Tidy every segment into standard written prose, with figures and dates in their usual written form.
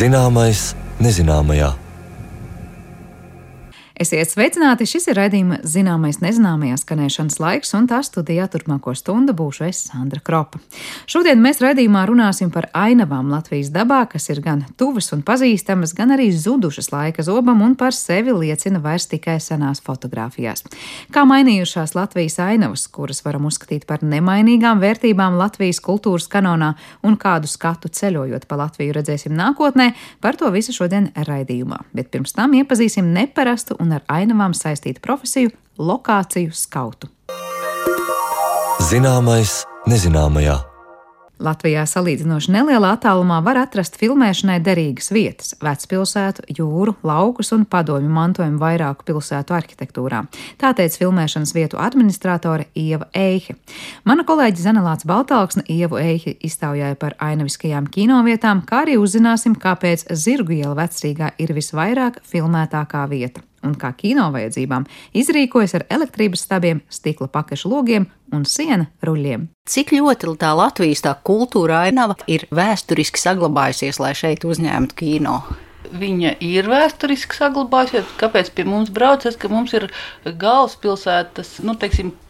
Zināmais nezināmajā. Esiet sveicināti, šis ir raidījuma Zināmais nezināmajā skanēšanas laiks, un tā studijā turpmāko stundu būšu es, Sandra Kropa. Šodien mēs raidījumā runāsim par ainavām Latvijas dabā, kas ir gan tuvas un pazīstamas, gan arī zudušas laika zobam un par sevi liecina vairs tikai senās fotogrāfijās. Kā mainījušās Latvijas ainavas, kuras varam uzskatīt par nemainīgām vērtībām Latvijas kultūras kanonā, un kādu skatu ceļojot pa Latviju redzēsim nākotnē, par to visu šodien raidījumā. Bet pirms tam iepazīsim neparastu un ar ainavām saistītu profesiju – lokāciju skautu. Zināmais nezināmajā. Latvijā salīdzinoši nelielā attālumā var atrast filmēšanai derīgas vietas – vecpilsētu, jūru, laukus un padomju mantojumu vairāku pilsētu arhitektūrā. Tā teica filmēšanas vietu administratore Ieva Eihe. Mana kolēģe Zanelāts Baltalksne Ievu Eihi iztaujāja par ainaviskajām kinovietām, kā arī uzzināsim, kāpēc Zirgu iela Vecrīgā ir visvairāk filmētākā vieta un kā kino vajadzībām izrīkojas ar elektrības stabiem, stikla pakašu logiem un siena ruļļiem. Cik ļoti tā Latvijas tā kultūra ainava ir vēsturiski saglabājusies, lai šeit uzņemtu kino? Viņa ir vēsturiski saglabājusies. Kāpēc pie mums braucas, ka mums ir galvaspilsētas,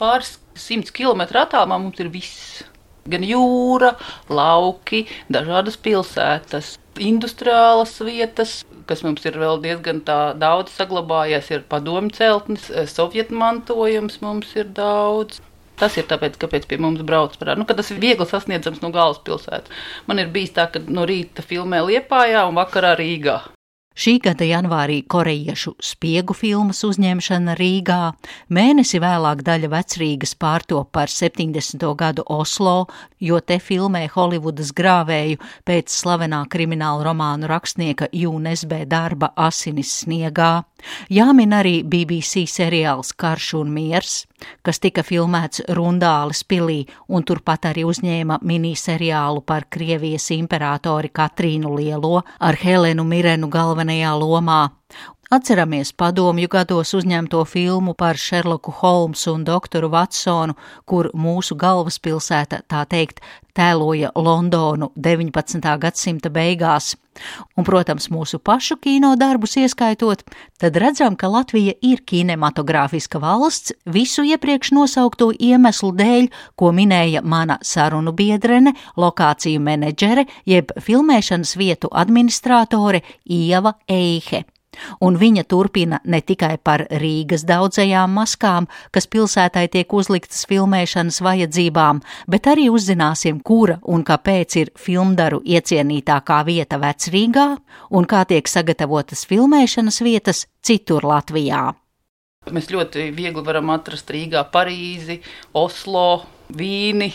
pāris 100 kilometru attālumā mums ir viss. Gan jūra, lauki, dažādas pilsētas, industriālas vietas, kas mums ir vēl diezgan daudz saglabājies, ir padomju celtnes, sovietu mantojums mums ir daudz. Tas ir tāpēc, kāpēc pie mums brauc ka tas ir viegli sasniedzams no galvaspilsētas. Man ir bijis tā, ka no rīta filmē Liepājā un vakarā Rīgā. Šī gada janvārī korejiešu spiegu filmas uzņemšana Rīgā, mēnesi vēlāk daļa Vecrīgas pārtop par 70. gadu Oslo, jo te filmē Holivudas grāvēju pēc slavenā krimināla romānu rakstnieka Jūnes B. darba Asinis sniegā. Jāmin arī BBC seriāls Karš un miers, kas tika filmēts Rundāles pilī un turpat arī uzņēma miniseriālu par Krievijas imperatori Katrīnu Lielo ar Helenu Mirenu galvenajā lomā. Atceramies padomju gados uzņemto filmu par Šerloku Holmsu un doktoru Vatsonu, kur mūsu galvaspilsēta, tā teikt, tēloja Londonu 19. gadsimta beigās. Un, protams, mūsu pašu kino darbus ieskaitot, tad redzam, ka Latvija ir kinematogrāfiska valsts visu iepriekš nosaukto iemeslu dēļ, ko minēja mana sarunu biedrene, lokāciju menedžere, jeb filmēšanas vietu administratore Ieva Eihe. Un viņa turpina ne tikai par Rīgas daudzajām maskām, kas pilsētai tiek uzliktas filmēšanas vajadzībām, bet arī uzzināsim, kura un kāpēc ir filmdaru iecienītākā vieta Vecrīgā un kā tiek sagatavotas filmēšanas vietas citur Latvijā. Mēs ļoti viegli varam atrast Rīgā Parīzi, Oslo, Vīni,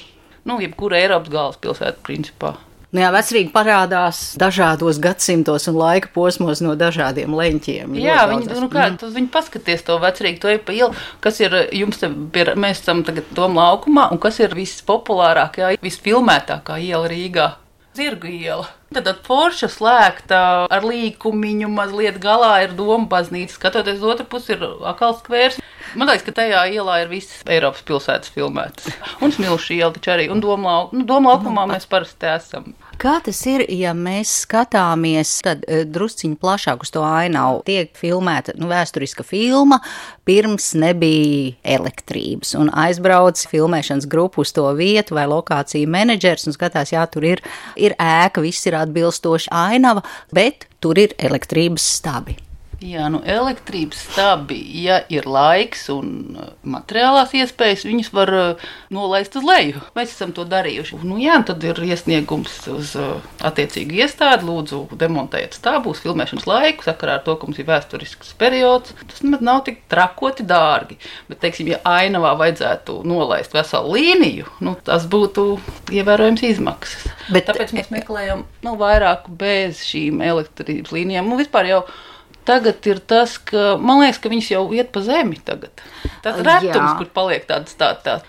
jebkura Eiropas galvaspilsēta principā. Vecrīga parādās dažādos gadsimtos un laika posmos no dažādiem leņķiem. Jā, viņi paskaties to Vecrīgu, to ir pa ielu, kas ir jums te, mēs esam tagad Doma laukumā, un kas ir vispopulārākā, visfilmētākā iela Rīgā? Zirgu iela. Tad forša slēgta ar līkumiņu, mazliet galā ir Doma baznīca, skatoties otru pusi ir Akals skvērs. Man liekas, ka tajā ielā ir visas Eiropas pilsētas filmētas. Un Smilšu iela taču arī, un Doma laukumā mēs parasti esam. Kā tas ir, ja mēs skatāmies tad drusciņi plašāk uz to ainavu? Tiek filmēta vēsturiska filma, pirms nebija elektrības, un aizbrauc filmēšanas grupu uz to vietu vai lokāciju menedžers un skatās, jā, tur ir ēka, viss ir atbilstoši ainava, bet tur ir elektrības stabi. Jā, elektrības stabi, ja ir laiks un materiālās iespējas, viņas var nolaist uz leju. Mēs esam to darījuši. Tad ir iesniegums uz attiecīgu iestādi, lūdzu demontējiet stabu uz filmēšanas laiku, sakarā ar to, ka mums ir vēsturisks periods. Tas nav tik trakoti dārgi, bet, teiksim, ja ainavā vajadzētu nolaist veselu līniju, tas būtu ievērojams izmaksas. Tāpēc mēs meklējam vairāk bez šīm elektrības līnijām. Vispār jau tagad ir tas, ka, man liekas, ka viņas jau iet pa zemi tagad. Tas retums, kur paliek tāds.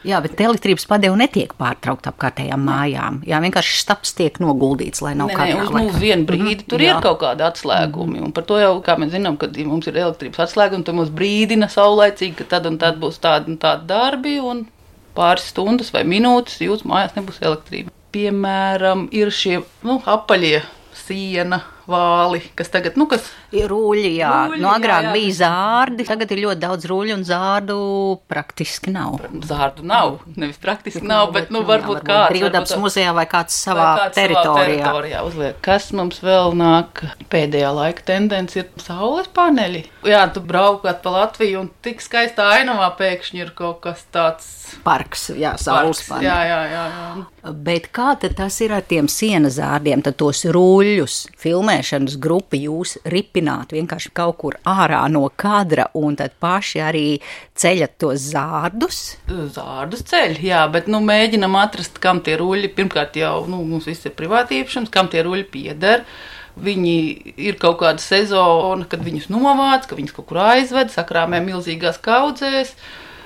Jā, bet elektrības padeva netiek pārtraukt apkārtējām mājām. Jā, vienkārši stabs tiek noguldīts, lai nav katrā laikā. Uz vienu brīdi tur ir kaut kādi atslēgumi. Un par to jau, kā mēs zinām, kad mums ir elektrības atslēgumi, tad mums brīdina saulaicīgi, ka tad un tad būs tādi un tādi darbi, un pāris stundas vai minūtes jūsu mājās nebūs elektrība. Piemēram, ir šie apaļie siena vāli, kas tagad, Rūļi, jā. Rūļi, Agrāk jā. bija zārdi, tagad ir ļoti daudz rūļu un zārdu praktiski nav. Zārdu nav, nevis praktiski nav, bet varbūt kāds. Brīvdabas muzejā vai kāds savā teritorijā uzliek. Kas mums vēl nāk? Pēdējā laika tendence ir saules paneļi. Jā, tu braukāt pa Latviju un tik skaistā ainavā pēkšņi ir kaut kas tāds. Parks, jā, saules paneļi. Jā. Bet kā tad tas ir ar tiem sienas zārdiem, tad tos rūļus filmēšanas grupi jūs ripināt vienkārši kaut kur ārā no kadra un tad paši arī ceļat tos zārdus? Zārdus ceļ, jā, bet mēģinam atrast, kam tie ruļi, pirmkārt jau, mums viss ir privāti īpašums, kam tie ruļi pieder. Viņi ir kaut kāda sezona, kad viņus novāc, ka viņus kaut kur aizved, sakrāmē milzīgās kaudzēs.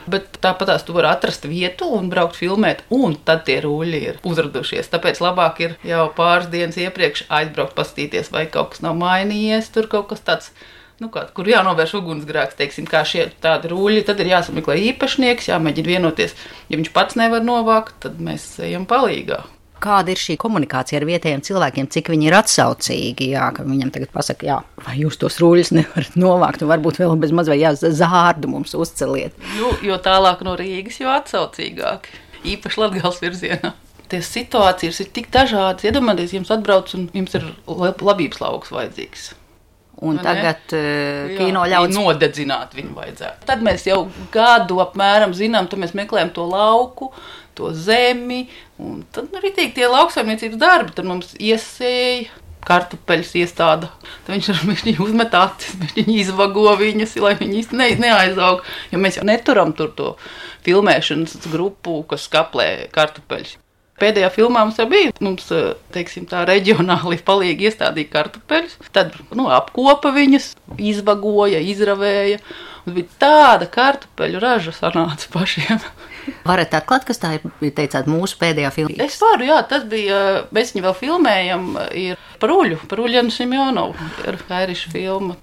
Bet tāpatās tu vari atrast vietu un braukt filmēt, un tad tie ruļi ir uzradušies. Tāpēc labāk ir jau pāris dienas iepriekš aizbraukt pastīties, vai kaut kas nav mainījies, tur kaut kas tāds, kur jānovērš ugunsgrēks, teiksim, kā šie tādi ruļi, tad ir jāsameklē īpašnieks, jāmēģina vienoties. Ja viņš pats nevar novākt, tad mēs ejam palīgā. Kāda ir šī komunikācija ar vietējiem cilvēkiem, cik viņi ir atsaucīgi, jā, ka viņam tagad pasaka, jā, vai jūs tos ruļus nevarat novākt, un varbūt vēl bez maz vai zārdu mums uzceliet. Jo tālāk no Rīgas, jo atsaucīgāk, īpaši Latgales virzienā. Tie situācijas ir tik dažādas, iedomājieties, jums atbrauc un jums ir labības lauks vajadzīgs. Un tagad kino ļauts nodedzināt viņu vajadzētu. Tad mēs jau gadu apmēram zinām, tad mēs meklējam to lauku, to zemi, un tad ritīgi tie lauksaimniecības darbi, tad mums iesēja, kartupeļus iestāda, tad viņš uzmet acis, viņš izvago viņus, lai viņi īsti neaizaug, jo mēs jau neturam tur to filmēšanas grupu, kas skaplē kartupeļus. Pēdējā filmā mums jau bija, teiksim, tā reģionāli palīgi iestādīja kartupeļus, tad apkopa viņus, izvagoja, izravēja, un bija tāda kartupeļu raža sanāca pašiem. Varat atklāt, kas tā ir, teicāt, mūsu pēdējā filma? Es varu, jā, tas bija, mēs viņu vēl filmējam, ir par Uļjanu Simjonovu, ir Kairiša filma.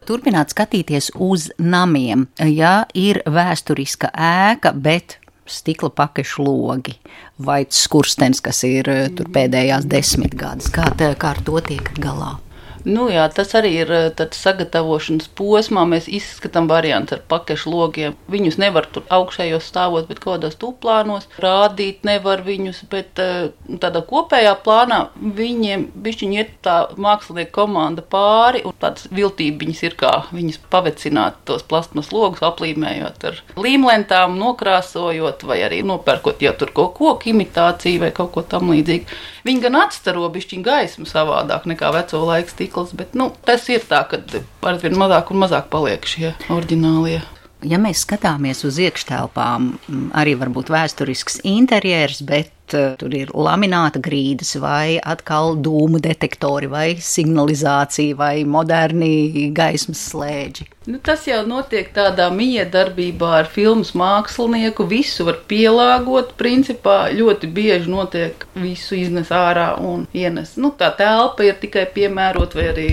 Turpināt skatīties uz namiem, ja ir vēsturiska ēka, bet stikla pakešu logi vai skurstenis, kas ir tur pēdējās 10 gadus. Kā ar to tiek galā? Jā, tas arī ir tad sagatavošanas posmā. Mēs izskatām variantus ar pakešu logiem. Viņus nevar tur augšējos stāvot, bet kaut kādās tūplānos. Rādīt nevar viņus, bet tādā kopējā plānā viņiem bišķiņi iet tā mākslinieka komanda pāri, un tāds viltībiņas ir kā viņus pavecināt tos plastmas logus, aplīmējot ar līmlentām, nokrāsojot vai arī nopērkot jau tur kaut koku imitāciju vai kaut ko tam līdzīgu. Viņi gan atstaro bišķiņu gaismu savādāk nekā veco laiku stikls, bet tas ir tā, ka arvien mazāk un mazāk paliek šie oriģinālie. Ja mēs skatāmies uz iekštelpām, arī varbūt vēsturisks interjers, bet tur ir lamināta grīdas vai atkal dūmu detektori vai signalizācija vai moderni gaismas slēdži. Tas jau notiek tādā miedarbībā ar filmas mākslinieku, visu var pielāgot, principā ļoti bieži notiek visu iznes ārā un ienes. Tā telpa ir tikai piemērot vai arī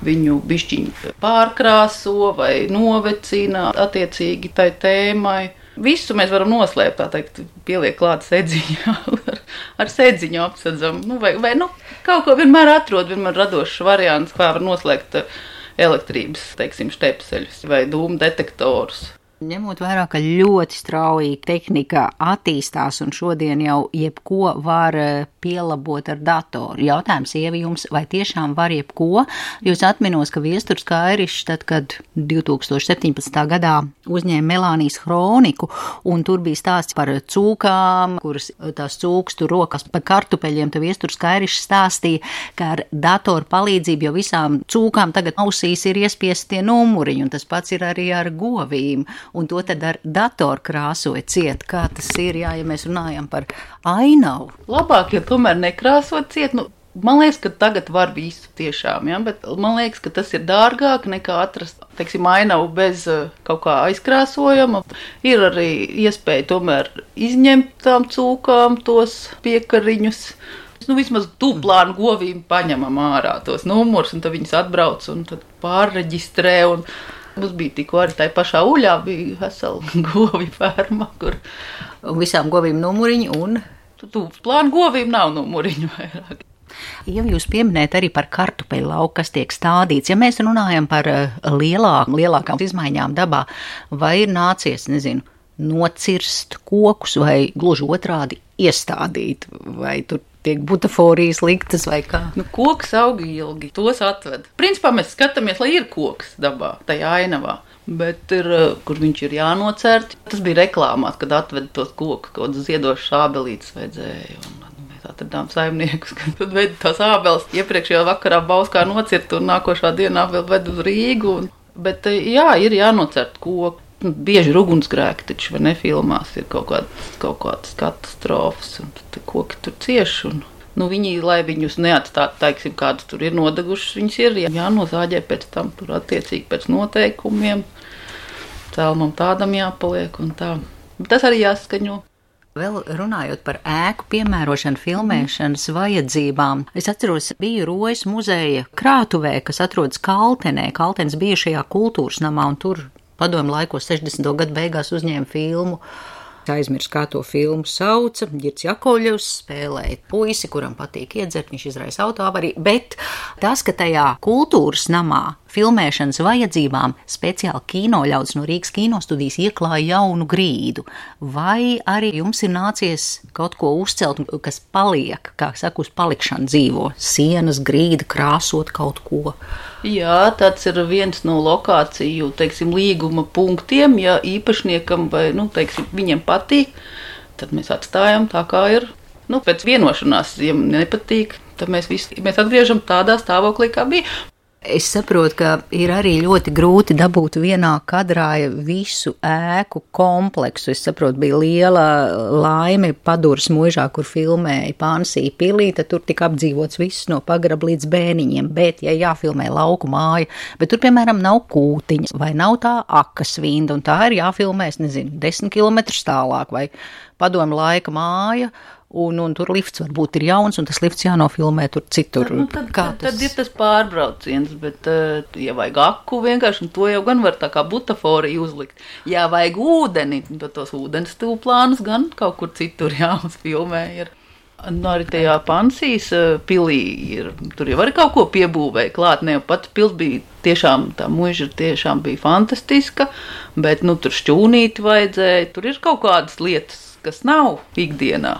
viņu bišķiņu pārkrāso vai novecina attiecīgi tai tēmai. Visu mēs varam noslēpt, tā teikt, pieliek klāt sedziņā, ar sedziņu apsedzam. Vai kaut ko vienmēr atrod, vienmēr radošs variants, kā var noslēgt elektrības, teiksim, štepseļus vai dūmu detektorus. Ņemot vērā, ka ļoti strauji tehnika attīstās un šodien jau jebko var pielabot ar datoru. Jautājums, Ieva, jums vai tiešām var jebko? Jūs atminos, ka Viesturs Kairišs, tad, kad 2017. gadā uzņēma Melānijas hroniku, un tur bija stāsts par cūkām, kuras tās cūkas tur rokas par kartupeļiem, tad Viesturs Kairišs stāstīja, ka ar datoru palīdzību jau visām cūkām tagad ausīs ir iespiesti tie numuriņi, un tas pats ir arī ar govīm. Un to tad ar datoru krāsoja ciet. Kā tas ir, ja mēs runājam par ainavu? Labāk, ja tomēr nekrāsot ciet. Man liekas, ka tagad var visu tiešām, ja? Bet man liekas, ka tas ir dārgāk nekā atrast, teiksim, ainavu bez kaut kā aizkrāsojama. Ir arī iespēja tomēr izņemt tām cūkām tos piekariņus. Vismaz tūplānu govīm paņemam ārā tos numurus, un tad viņas atbrauc un tad pārreģistrē. Mums bija tikko arī tai pašā Uļā bija vesela govju ferma, kur visām govīm numuriņu un plānu govīm nav numuriņu vairāk. Ja jūs pieminējat arī par kartupeļu lauku, kas tiek stādīts, ja mēs runājam par lielākām izmaiņām dabā, vai ir nācies, nocirst kokus vai gluži otrādi iestādīt, vai tur tiek butaforijas liktas vai kā? Koks aug ilgi, tos atved. Principā mēs skatāmies, lai ir koks dabā, tajā ainavā. Bet kur viņš ir jānocērt. Tas bija reklāmās, kad atveda tos kokus, kaut kādas ziedošas ābelītes vajadzēja. Mēs atradām saimniekus, kad tad veda tās ābeles. Iepriekšējā vakarā Bauskā nocirta un nākošā dienā vēl ved uz Rīgu. Bet jā, ir jānocērt koku. Bieži ir ugunsgrēki, taču vai ne filmās ir kaut kādas katastrofas un tad koki tur cieši. Viņi, lai viņus neatstātu, teiksim, kādas tur ir nodegušas, viņas ir jānozāģē pēc tam, tur attiecīgi pēc noteikumiem. Cēlumam tādam jāpaliek un tā. Tas arī jāskaņo. Vēl runājot par ēku piemērošanu filmēšanas vajadzībām, es atceros, biju Rojas muzeja krātuvē, kas atrodas Kaltenē, Kaltenes bijušajā kultūras namā, un tur padomju laikos 60. gadu beigās uzņēma filmu. Aizmirst, kā to filmu sauca. Girts Jakovļevs spēlēja puisi, kuram patīk iedzert, viņš izraisa autoavariju, bet tas, ka tajā kultūras namā filmēšanas vajadzībām speciāli kinoļaudis no Rīgas kinostudijas ieklāja jaunu grīdu. Vai arī jums ir nācies kaut ko uzcelt, kas paliek, kā saka, uz palikšanu dzīvo? Sienas, grīda, krāsot kaut ko? Jā, tāds ir viens no lokāciju, teiksim, līguma punktiem. Ja īpašniekam vai, teiksim, viņiem patīk, tad mēs atstājam tā, kā ir. Pēc vienošanās, ja nepatīk, tad mēs atgriežam tādā stāvoklī, kā bija. Es saprotu, ka ir arī ļoti grūti dabūt vienā kadrā visu ēku kompleksu. Es saprotu, bija liela laime Paduras muižā, kur filmēja Pansija pilī, tad tur tika apdzīvots viss no pagraba līdz bēniņiem, bet, ja jāfilmē lauku māja, bet tur, piemēram, nav kūtiņas vai nav tā akasvinda, un tā ir jāfilmē, 10 kilometrus tālāk, vai padomju laika māja, un tur lifts varbūt ir jauns, un tas lifts jānofilmē tur citur. Tad ir tas pārbrauciens, bet, ja vajag aku vienkārši, un to jau gan var tā kā butaforiju uzlikt. Ja vajag ūdeni, tad tos ūdens tūplānus gan kaut kur citur jāuzfilmē ir. Arī tajā Pansijas pilī ir, tur jau arī kaut ko piebūvēja klāt, ne jau pati pils bija tiešām, tā muiža tiešām bija fantastiska, bet, tur šķūnīti vajadzēja, tur ir kaut kādas lietas, kas nav ikdienā.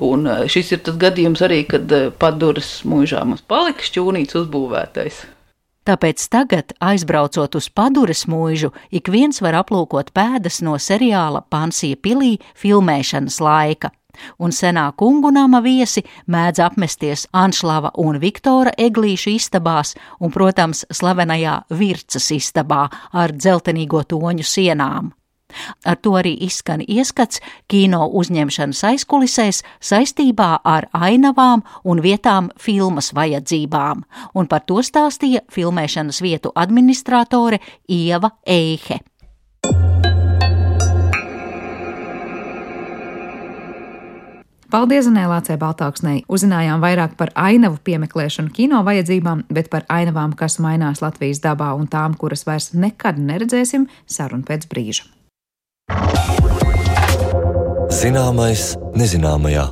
Un šis ir tas gadījums arī, kad Paduras muižā mums palika šķūnīts uzbūvētais. Tāpēc tagad, aizbraucot uz Paduras muižu, ik viens var aplūkot pēdas no seriāla Pansija pilī filmēšanas laika. Un senā kungu nama viesi mēdz apmesties Anšlava un Viktora Eglīšu istabās un, protams, slavenajā Vircas istabā ar dzeltenīgo toņu sienām. Ar to arī izskan ieskats kino uzņemšanas aizkulisēs saistībā ar ainavām un vietām filmas vajadzībām, un par to stāstīja filmēšanas vietu administratore Ieva Eihe. Paldies Zanēlācei Baltāksnei. Uzzinājām vairāk par ainavu piemeklēšanu kino vajadzībām, bet par ainavām, kas mainās Latvijas dabā un tām, kuras vairs nekad neredzēsim, sarunu pēc brīža. Zināmais nezināmajā.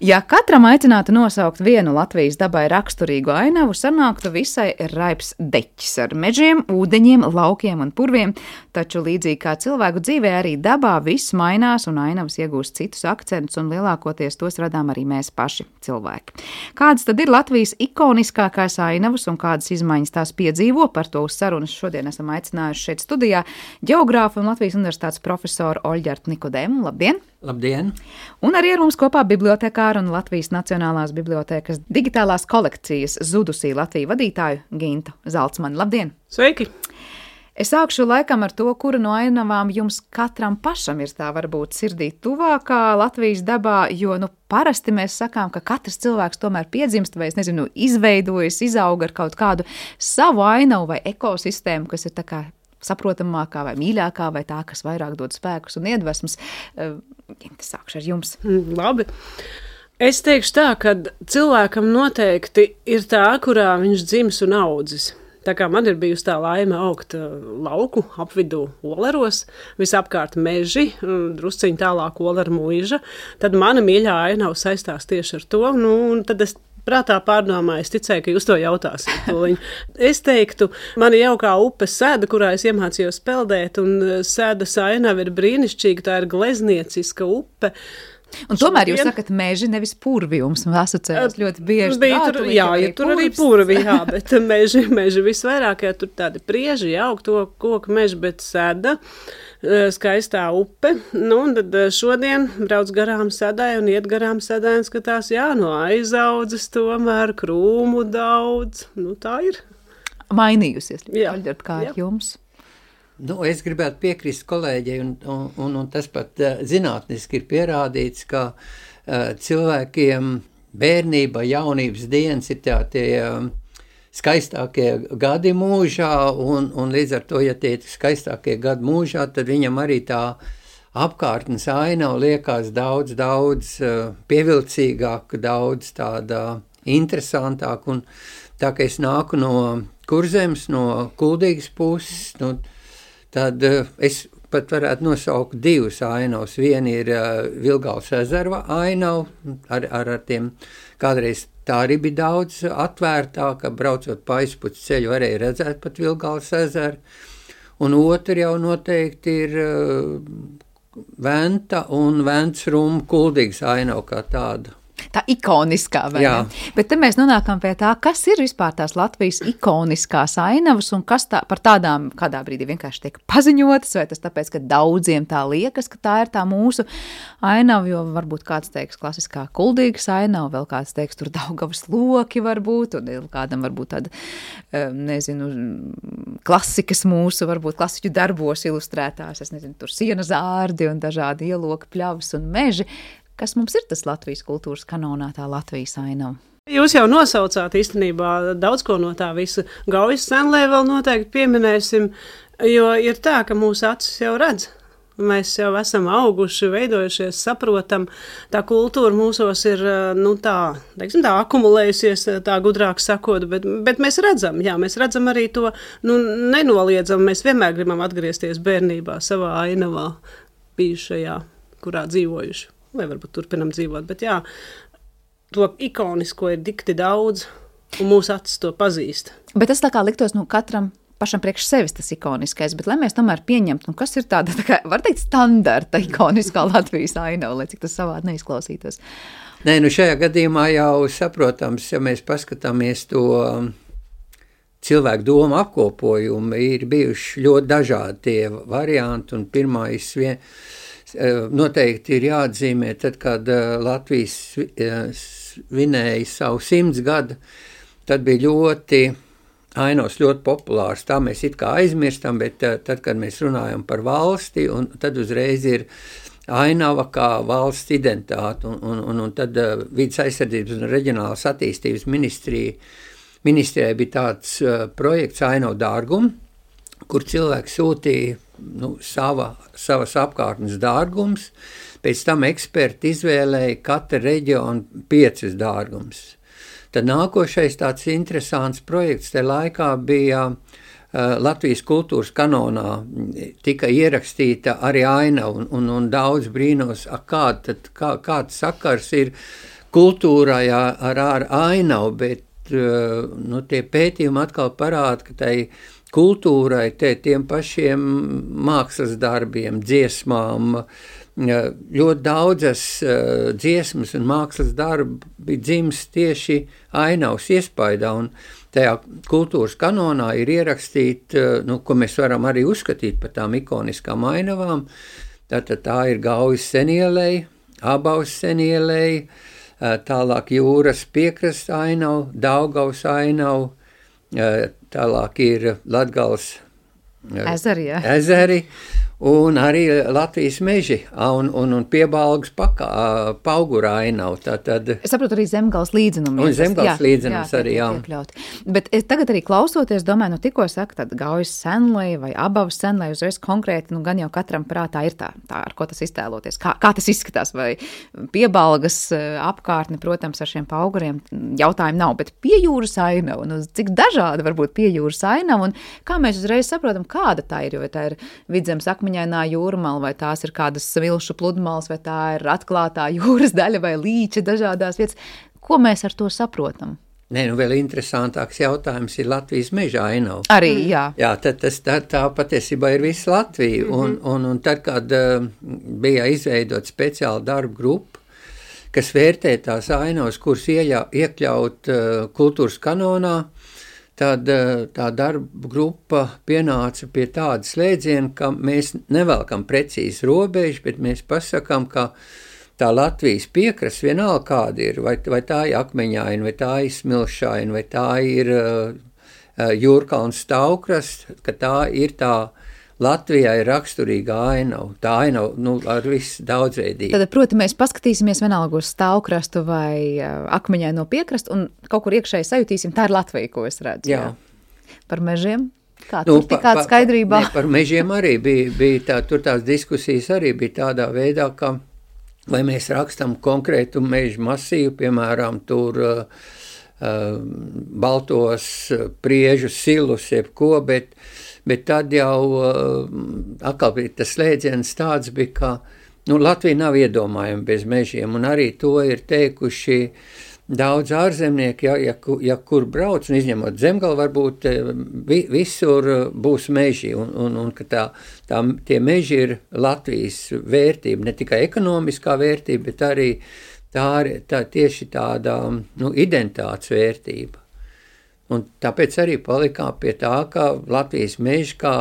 Ja katram aicinātu nosaukt vienu Latvijas dabai raksturīgu ainavu, sanāktu visai raibs deķis ar mežiem, ūdeņiem, laukiem un purviem, taču līdzīgi kā cilvēku dzīvē arī dabā viss mainās un ainavas iegūst citus akcentus un lielākoties tos radām arī mēs paši cilvēki. Kādas tad ir Latvijas ikoniskākās ainavas un kādas izmaiņas tās piedzīvo? Par to uz sarunas šodien esam aicinājuši šeit studijā ģeogrāfu un Latvijas universitātes profesoru Oļģertu Nikodēmu. Labdien! Labdien! Un arī ar mums kopā bibliotekāru un Latvijas Nacionālās bibliotēkas digitālās kolekcijas Zudusī Latviju vadītāju Gintu Zalcmani. Labdien! Sveiki! Es sākšu laikam ar to, kura no ainavām jums katram pašam ir tā varbūt sirdī tuvākā Latvijas dabā, jo parasti mēs sakām, ka katrs cilvēks tomēr piedzimst vai, izveidojas, izauga ar kaut kādu savu ainavu vai ekosistēmu, kas ir tā kā saprotamākā vai mīļākā vai tā, kas vairāk dod spēkus un iedvesmas. Sākšu ar jums. Labi. Es teikšu tā, ka cilvēkam noteikti ir tā, kurā viņš dzimis un audzis. Tā kā man ir bijusi tā laime augt lauku apvidū Oleros, visapkārt meži, drusciņi tālāk Olera mūža, tad mana mīļā ainava saistās tieši ar to, un tad es prātā pārdomāju, es ticēju, ka jūs to jautāsiet. Es teiktu, man ir jaukā upe Sēda, kurā es iemācījos peldēt, un Sēdas ainava ir brīnišķīga, tā ir gleznieciska upe. Un tomēr jūs sakat meži, nevis purvi jums asociējas ļoti bieži. Jā, tur arī purvi, jā, bet meži visvairāk, ja tur tādi prieži, augto koku meži, bet Sēda, skaistā upe. Un tad šodien brauc garām Sēdai un iet garām Sēdai un skatās, no aizaudzes tomēr krūmu daudz. Tā ir. Mainījusies, Aļģert, kā ar jums? Es gribētu piekrist kolēģei, un tas pat zinātniski ir pierādīts, ka cilvēkiem bērnība, jaunības dienas ir tie skaistākie gadi mūžā, un līdz ar to, ja tie ir skaistākie gadi mūžā, tad viņam arī tā apkārtnes ainava liekas daudz pievilcīgāk, daudz tāda interesantāk, un tā, ka es nāku no Kurzemes, no Kuldīgas puses, tad es pat varētu nosaukt divas ainavas. Viena ir Vilgavas ezera ainava, ar tiem kādreiz tā arī bija daudz atvērtāka, braucot pa aizpuci ceļu varēja redzēt pat Vilgavas ezeru. Un otra jau noteikti ir Venta un Ventsruma Kuldīgas ainava kā tāda. Tā ikoniskā, vai ne? Bet te mēs nonākam pie tā, kas ir vispār tās Latvijas ikoniskās ainavas un kas par tādām kādā brīdī vienkārši tiek paziņotas, vai tas tāpēc, ka daudziem tā liekas, ka tā ir tā mūsu ainava, jo varbūt kāds teiks klasiskā Kuldīgas ainava, vēl kāds teiks tur Daugavas loki varbūt, un kādam varbūt tāda, klasikas mūsu, varbūt klasiķu darbos ilustrētās, tur siena zārdi un dažādi ieloki, pļavas un meži. Kas mums ir tas Latvijas kultūras kanonā, tā Latvijas ainava? Jūs jau nosaucāt īstenībā daudz ko no tā visa. Gaujas senlē vēl noteikti pieminēsim, jo ir tā, ka mūsu acis jau redz. Mēs jau esam auguši, veidojušies, saprotam. Tā kultūra mūsos ir, tā akumulējusies, tā gudrāk sakot, bet mēs redzam, mēs redzam arī to, nenoliedzam. Mēs vienmēr gribam atgriezties bērnībā savā ainavā bijušajā, kurā dzīvojuši. Vai varbūt turpinam dzīvot, bet to ikonisko ir dikti daudz, un mūsu acis to pazīst. Bet tas tā kā liktos, katram pašam priekš sevis tas ikoniskais, bet lai mēs tomēr pieņemtu, kas ir tāda, var teikt, standarta ikoniskā Latvijas ainava, lai cik tas savādi neizklausītos. Nē, šajā gadījumā jau saprotams, ja mēs paskatāmies to cilvēku domu apkopojumu, ir bijuši ļoti dažādi tie varianti, un pirmais noteikti ir jāatzīmē, tad, kad Latvijas svinēja savu 100 gadu, tad bija ainavas ļoti populārs. Tā mēs it kā aizmirstam, bet tad, kad mēs runājam par valsti, un tad uzreiz ir ainava kā valsts identitāte, un tad Vides aizsardzības un reģionālās attīstības ministrijai bija tāds projekts Ainavu dārgumu, kur cilvēki sūtīja savas apkārtnes dārgums, pēc tam eksperti izvēlēja katra reģiona 5 dārgums. Tad nākošais tāds interesants projekts te laikā bija Latvijas kultūras kanonā, tika ierakstīta arī ainava, un daudz brīnos, kāds sakars ir kultūrai ar ainavu, bet tie pētījumi atkal parāda, ka tai kultūrai, tiem pašiem mākslas darbiem, dziesmām, ļoti daudzas dziesmas un mākslas darbi bija dzimis tieši ainavas iespaidā, un tajā kultūras kanonā ir ierakstīt, ko mēs varam arī uzskatīt par tām ikoniskām ainavām. Tātad tā ir Gaujas senielei, Ābaus senielei, tālāk jūras piekrasta ainava, Daugavas ainava, tālāk ir Latgales ezeri, Un arī Latvijas meži un Piebalgas paugura ainavu. Es saprotu arī Zemgales līdzenumi. Un Zemgales līdzenums arī, jā. Bet es tagad arī klausoties, domāju, tikko saka, tad Gaujas senlei vai Abavas senlei uzreiz konkrēti, gan jau katram prātā ir tā ar ko tas iztēloties. Kā tas izskatās, vai Piebalgas apkārtni, protams, ar šiem pauguriem jautājumu nav, bet piejūras ainava, cik dažāda var būt piejūras ainava, un kā mēs uzreiz saprotam, kāda tā ir, jo tā ir Vidzemes akmeņainā jūrmala, vai tās ir kādas svilšu pludmales, vai tā ir atklātā jūras daļa, vai līča dažādās vietas. Ko mēs ar to saprotam? Nē, vēl interesantāks jautājums ir Latvijas meža ainava. Arī, jā. Jā, tā patiesībā ir visa Latvija, un tad, kad bija izveidot speciālu darbu grupu, kas vērtē tās ainavas, kuras iekļaut kultūras kanonā, tad tā darba grupa pienāca pie tāda slēdziena, ka mēs nevelkam precīzi robežu, bet mēs pasakām, ka tā Latvijas piekrasts vienalga kāda ir, vai tā ir akmeņaina, vai tā ir smilšaina, vai tā ir Jūrkalns stāvkrasts, ka tā ir tā Latvijā ir raksturīga ainava. Tā ainava ar visu daudzveidību. Tad, proti, mēs paskatīsimies vienalga uz stāvkrastu vai akmeņaino piekrastu un kaut kur iekšēji sajutīsim, tā ir Latvija, ko es redzu. Jā. Par mežiem? Tur tikāda skaidrībā? Par mežiem arī bija tur tās diskusijas arī bija tādā veidā, ka vai mēs rakstam konkrētu mežu masīvu, piemēram, tur baltos priežu silus, jebko, bet tad jau atkal tas slēdziens tāds bija, ka Latvija nav iedomājama bez mežiem, un arī to ir teikuši daudz ārzemnieki, ja kur brauc, un izņemot Zemgali, varbūt visur būs meži, un ka tie meži ir Latvijas vērtība, ne tikai ekonomiskā vērtība, bet arī tā tieši tāda identitātes vērtība. Un tāpēc arī palikām pie tā, ka Latvijas meži kā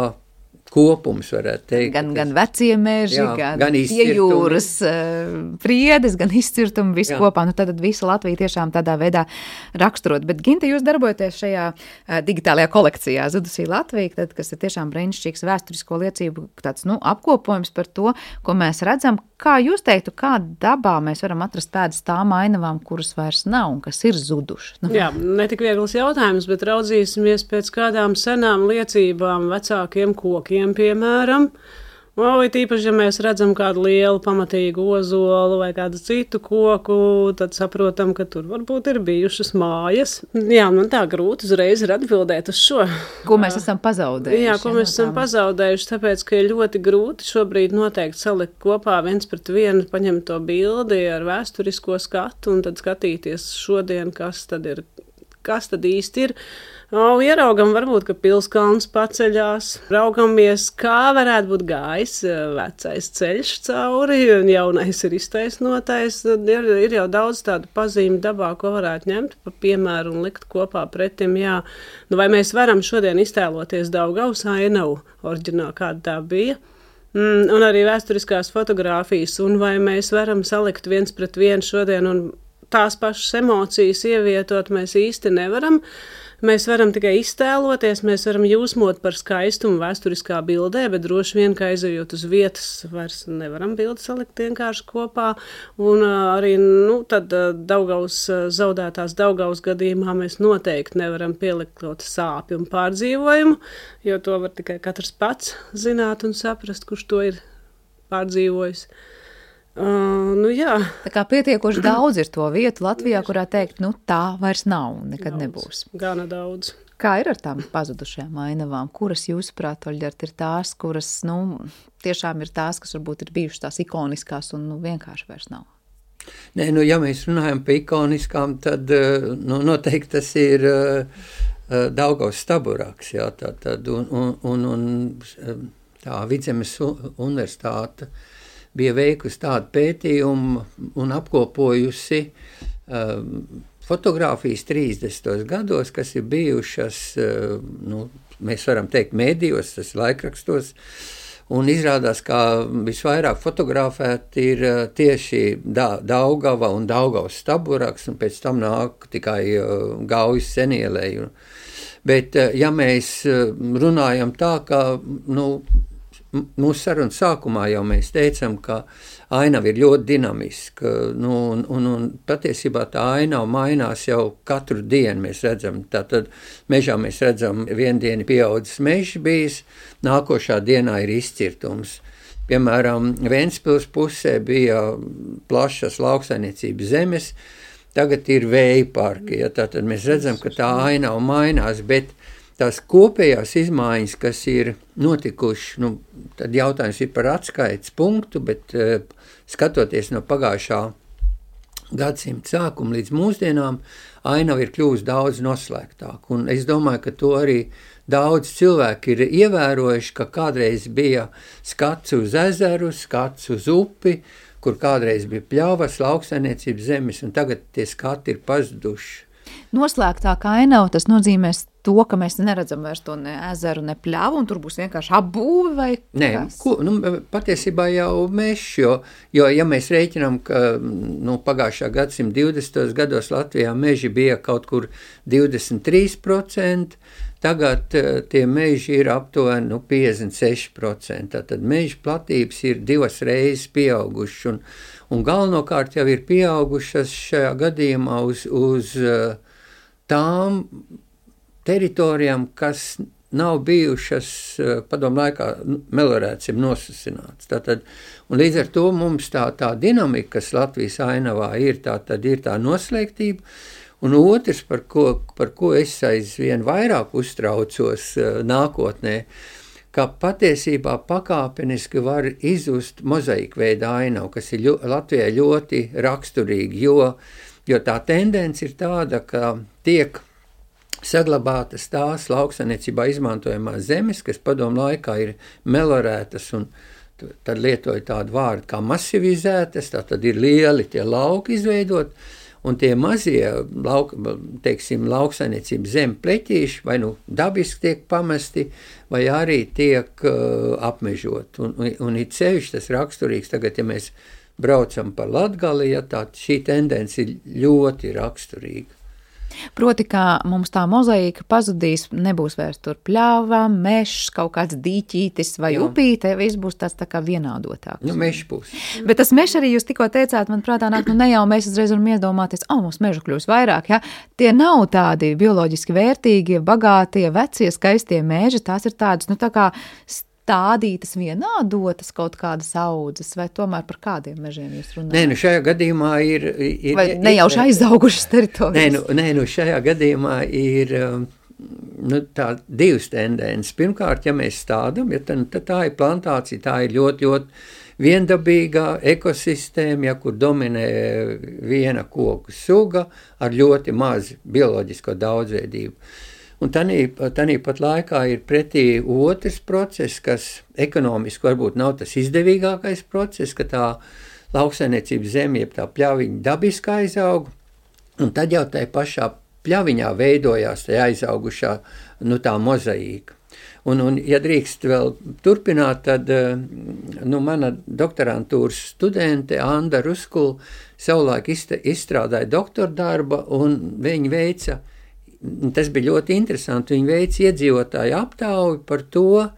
kopums, varētu teikt. Gan vecie meži, gan piejūras priedes, gan izcirtumi, visu kopā. Tad visa Latvija tiešām tādā veidā raksturot. Bet, Ginte, jūs darbojaties šajā digitālajā kolekcijā Zudusī Latvija, tad, kas ir tiešām brīnišķīgs vēsturisko liecību tāds, apkopojums par to, ko mēs redzam. Kā jūs teiktu, kā dabā mēs varam atrast pēdas tām ainavām, kuras vairs nav un kas ir zudušas? Jā, ne tik viegls jautājums, bet raudzīsimies pēc kādām senām liecībām, vecākiem kokiem, piemēram. Vai tīpaši, ja mēs redzam kādu lielu pamatīgu ozolu vai kādu citu koku, tad saprotam, ka tur varbūt ir bijušas mājas. Jā, man tā grūti uzreiz ir atbildēt uz šo. Ko mēs esam pazaudējuši? Jā, ko mēs esam pazaudējuši, tāpēc, ka ir ļoti grūti šobrīd noteikti salikt kopā viens pret vienu, paņemt to bildi ar vēsturisko skatu un tad skatīties šodien, kas tad īsti ir. Ieraugam varbūt, ka Pilskalns paceļās, raugamies, kā varētu būt gājis vecais ceļš cauri, un jaunais ir iztaisnotais. Ir jau daudz tādu pazīmi dabā, ko varētu ņemt pa piemēru un likt kopā pretim. Jā. Vai mēs varam šodien iztēloties Daugavas ainavu oriģināli, kāda tā bija? Un arī vēsturiskās fotogrāfijas, un vai mēs varam salikt viens pret vienu šodien un tās pašas emocijas ievietot, mēs īsti nevaram. Mēs varam tikai iztēloties, mēs varam jūsmot par skaistumu vēsturiskā bildē, bet droši vien, ka aizejot uz vietas, vairs nevaram bildi salikt vienkārši kopā. Un arī tad zaudētās Daugavas gadījumā mēs noteikti nevaram pielikt kaut sāpju un pārdzīvojumu, jo to var tikai katrs pats zināt un saprast, kurš to ir pārdzīvojis. Jā. Tā kā pietiekoši daudz ir to vietu Latvijā, kurā teikt, tā vairs nav un nekad nebūs. Gana daudz. Kā ir ar tām pazudušajām ainavām? Kuras jūsuprāt, Oļģert, ir tās, kuras, tiešām ir tās, kas varbūt ir bijušas tās ikoniskās un vienkārši vairs nav? Nē, ja mēs runājam par ikoniskām, tad noteikti tas ir Daugavas staburaks, jā, un tā Vidzemes universitāte bija veikusi tādu pētījumu un apkopojusi fotogrāfijas 30. gados, kas ir bijušas, mēs varam teikt, mēdījos, tas laikrakstos, un izrādās, ka visvairāk fotografēti ir tieši Daugava un Daugavas staburaks, un pēc tam nāk tikai Gaujas senielēji. Bet, ja mēs runājam tā, ka, mūsu sarunas sākumā jau mēs teicām, ka ainava ir ļoti dinamiska, un patiesībā tā ainava mainās jau katru dienu mēs redzam. Tātad mežā mēs redzam, vienu dienu pieaudzis mežs bijis, nākošā dienā ir izcirtums. Piemēram, Ventspils pusē bija plašas lauksainiecības zemes, tagad ir vēja parki, ja, tātad mēs redzam, ka tā ainava mainās, bet tās kopējās izmaiņas, kas ir notikuši, tad jautājums ir par atskaites punktu, bet skatoties no pagājušā gadsimta sākuma līdz mūsdienām, ainava ir kļuvusi daudz noslēgtāk. Un es domāju, ka to arī daudz cilvēki ir ievērojuši, ka kādreiz bija skats uz ezeru, skats uz upi, kur kādreiz bija pļavas, lauksainiecības zemes, un tagad tie skati ir pazuduši. Noslēgtāka ainava, tas nozīmēs to, ka mēs neredzam vairs to ne ezeru, ne pļavu, un tur būs vienkārši apbūve vai kas? Nē, patiesībā jau mežs, jo ja mēs rēķinām, ka pagājušā gadsimta 20. gados Latvijā meži bija kaut kur 23%, tagad tie meži ir aptuveni 56%. Tātad meža platības ir 2 reizes pieaugušas, un galvenokārt jau ir pieaugušas šajā gadījumā uz tām teritorijām, kas nav bijušas padomu laikā melorētas, nosasinātas. Tātad, un līdz ar to mums tā dinamika, kas Latvijas ainavā ir, tad ir tā noslēgtība, un otrs, par ko es aizvien vairāk uztraucos nākotnē, ka patiesībā pakāpeniski var izzust mozaīku veida ainavu, kas ir Latvijai ļoti raksturīgi, jo tā tendence ir tāda, ka tiek saglabātas tās lauksainiecībā izmantojamās zemes, kas padomu laikā ir melorētas, un tad lietoja tādu vārdu kā masivizētas, tad ir lieli tie lauki izveidot, un tie mazie lauksainiecības zemi pleķīši vai dabiski tiek pamesti, vai arī tiek apmežot. Un it sevišķi tas raksturīgs, tagad, ja mēs braucam pa Latgali, ja, šī tendence ir ļoti raksturīga. Proti, kā mums tā mozaīka pazudīs, nebūs vairs tur pļāva, mežs, kaut kāds dīķītis vai upīte, viss būs tāds tā kā vienādotāks. Mežs būs. Bet tas mežs arī jūs tikko teicāt, man prātā nāk, ne jau mēs uzreiz varam iedomāties, mums mežu kļūs vairāk, ja? Tie nav tādi bioloģiski vērtīgie, bagātie, vecie, skaistie meži, tās ir tādas, tā kā stādītas vienādotas kaut kādas audzes, vai tomēr par kādiem mežiem jūs runājat? Nē, šajā gadījumā ir vai nejauši aizaugušas teritorijas? Nē, šajā gadījumā ir tā divas tendences. Pirmkārt, ja mēs stādam, tad tā ir plantācija, tā ir ļoti, ļoti viendabīga ekosistēma, kur dominē viena koku suga ar ļoti mazu bioloģisko daudzveidību. Un tanī pat laikā ir pretī otrs process, kas ekonomiski varbūt nav tas izdevīgākais process, ka tā lauksainiecības zeme, jeb tā pļaviņa dabiski aizaug, un tad jau tai pašā pļaviņā veidojās tā aizaugušā tā mozaīka. Un ja drīkst vēl turpināt, tad mana doktorantūras studente Anda Ruskula savulaik izstrādāja doktordarba, un viņa veica, tas bija ļoti interesanti, viņa veica iedzīvotāju aptauju par to,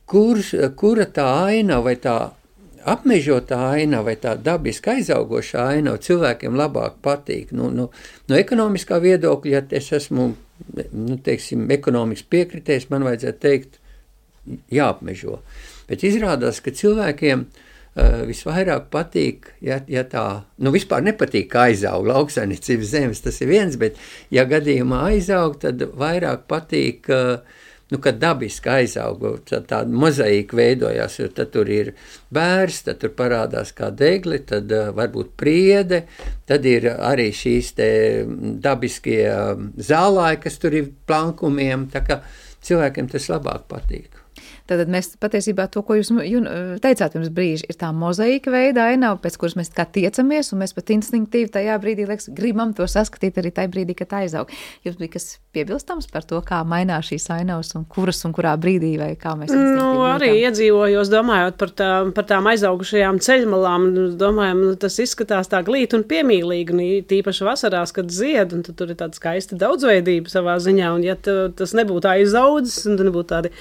kura tā ainava vai tā apmežotā ainava vai tā dabiski aizaugošā ainava cilvēkiem labāk patīk. No ekonomiskā viedokļa, ja es esmu, ekonomikas piekritējs, man vajadzētu teikt, jāapmežo. Bet izrādās, ka cilvēkiem visvairāk patīk, ja tā, vispār nepatīk, ka aizaug lauksainiecības zemes, tas ir viens, bet ja gadījumā aizaug, tad vairāk patīk, kad dabiski aizaug, tāda mozaīka veidojās, jo tad tur ir bērs, tad tur parādās kā degli, tad varbūt priede, tad ir arī šīs te dabiskie zālāji, kas tur ir plankumiem, tā kā cilvēkiem tas labāk patīk. Tad mēs patiesībā to, ko jūs teicāt pirms brīža, ir tā mozaīka veida ainava, pēc kuras mēs kā tiecamies, un mēs pat instinktīvi tajā brīdī, liekas, gribam to saskatīt arī tajā brīdī, kad aizaug. Jums bija kas piebilstams par to, kā mainās šīs ainavas un kuras un kurā brīdī, vai kā mēs instinktīvi arī iedzīvojos, domājot par tām aizaugušajām ceļmalām, domājam, tas izskatās tā glīti un piemīlīgi, un tīpaši vasarās, kad zied, un tur ir tāda skaista daudzveidība savā ziņā, un ja tas nebūtu aizaudzis, un nebūtu tādi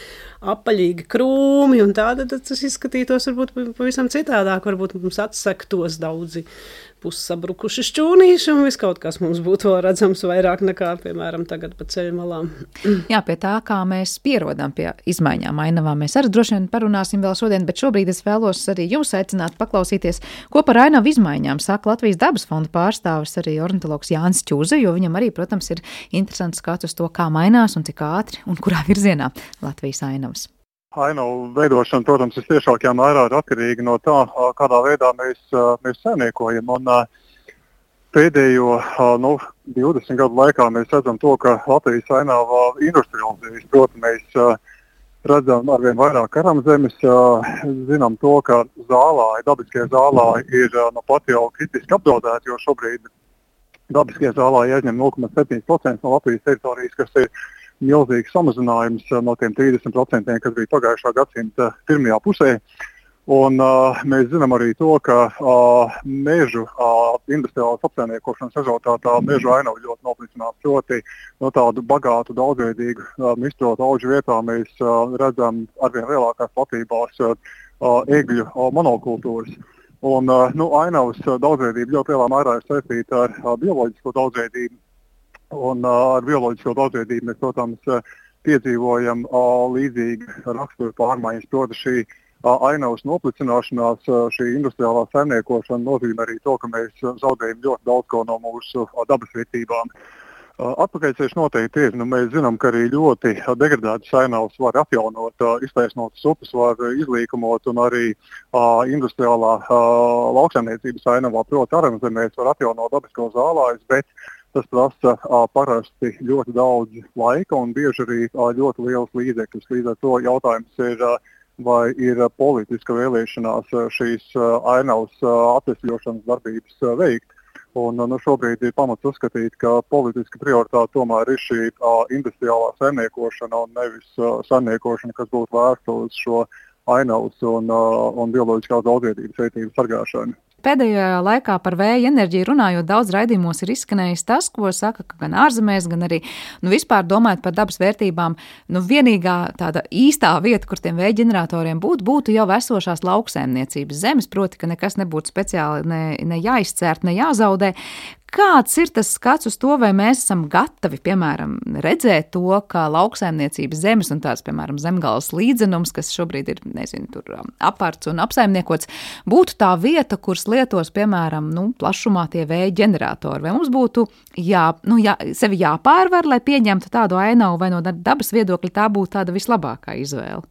apaļīgi krūmi un tāda, tad tas izskatītos varbūt pavisam citādāk, varbūt mums atsektos daudzi pussabrukuši šķūnīši un viss kaut kas mums būtu vēl redzams vairāk nekā, piemēram, tagad pa ceļu malām. Jā, pie tā, kā mēs pierodam pie izmaiņām ainavām, mēs arī droši vien parunāsim vēl šodien, bet šobrīd es vēlos arī jums aicināt paklausīties, ko par ainavu izmaiņām saka Latvijas dabas fonda pārstāvis arī ornitologs Jānis Čuze, jo viņam arī, protams, ir interesants skats uz to, kā mainās un cik ātri un kurā virzienā Latvijas ainavas. Ainavu veidošana, protams, tiešākajā mērā ir atkarīga no tā, kādā veidā mēs saimniekojam. Un pēdējo 20 gadu laikā mēs redzam to, ka Latvijas ainava industrializējas. Protams, mēs redzam arvien vairāk karamzemes, zinām to, ka dabiskie zālāji ir pat jau kritiski apdraudēti, jo šobrīd dabiskie zālāji aizņem 0,7% no Latvijas teritorijas, kas ir milzīgs samazinājums no tiem 30%, kas bija pagājušā gadsimta pirmajā pusē. Un mēs zinām arī to, ka mežu industriālās apsaimniekošanas rezultātā mežu ainavu ļoti noplicinās. Proti no tādu bagātu, daudzveidīgu mišķotu auģu vietā mēs redzam arvien lielākās platībās egļu monokultūras. Un ainavas daudzveidība ļoti lielā mērā ir saistīta ar bioloģisko daudzveidību. Un ar bioloģisko daudzveidību mēs, protams, piedzīvojam līdzīgi rakstura pārmaiņas. Proti, šī ainavas noplicināšanās, šī industriālā saimniekošana nozīmē arī to, ka mēs zaudējam ļoti daudz ko no mūsu dabas vērtībām. Atpakaļceļš noteikti ir. Mēs zinām, ka arī ļoti degradētas ainavas var atjaunot, iztaisnotas upes var izlīkumot un arī industriālā lauksaimniecības ainavā, proti aranzemēs, var atjaunot dabisko zālājus, bet tas prasa parasti ļoti daudz laika un bieži arī ļoti liels līdzekļus. Līdz ar to jautājums ir, vai ir politiska vēlēšanās šīs ainavas atvesļošanas darbības veikt. Un šobrīd ir pamats uzskatīt, ka politiska prioritāte tomēr ir šī industriālā saimniekošana un nevis saimniekošana, kas būtu vērsta uz šo ainavas un bioloģiskās daudzveidības vērtības sargāšanu. Pēdējā laikā par vēja enerģiju runājot, daudz raidījumos ir izskanējis tas, ko saka gan ārzemēs, gan arī vispār domājot par dabas vērtībām. Vienīgā tāda īstā vieta, kur tiem vēja ģeneratoriem būtu jau esošās lauksaimniecības zemes, proti, ka nekas nebūtu speciāli ne jāizcērt, ne jāzaudē. Kāds ir tas skats uz to, vai mēs esam gatavi, piemēram, redzēt to, ka lauksaimniecības zemes un tāds, piemēram, zemgales līdzenums, kas šobrīd ir, tur aparts un apsaimniekots, būtu tā vieta, kuras lietos, piemēram, plašumā tie vēja ģeneratori? Vai mums būtu sevi jāpārvar, lai pieņemtu tādu ainavu, vai no dabas viedokļa tā būtu tāda vislabākā izvēle?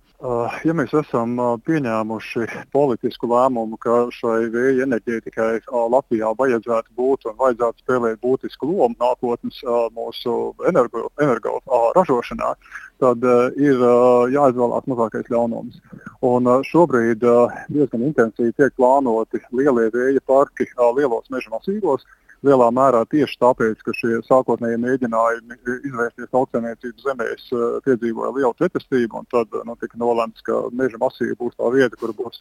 Ja mēs esam pieņēmuši politisku lēmumu, ka šai vēja enerģētikai Latvijā vajadzētu būt un vajadzētu spēlēt būtisku lomu nākotnes mūsu energo ražošanā, tad ir jāizvēlās mazākais ļaunums. Un šobrīd diezgan intensīvi tiek plānoti lielie vēja parki lielos meža masīvos. Lielā mērā tieši tāpēc, ka šie sākotnējie mēģinājumi izvērsties lauksaimniecības zemēs piedzīvoja lielu pretestību, un tad tika nolēmts, ka meža masīva būs tā vieta, kur būs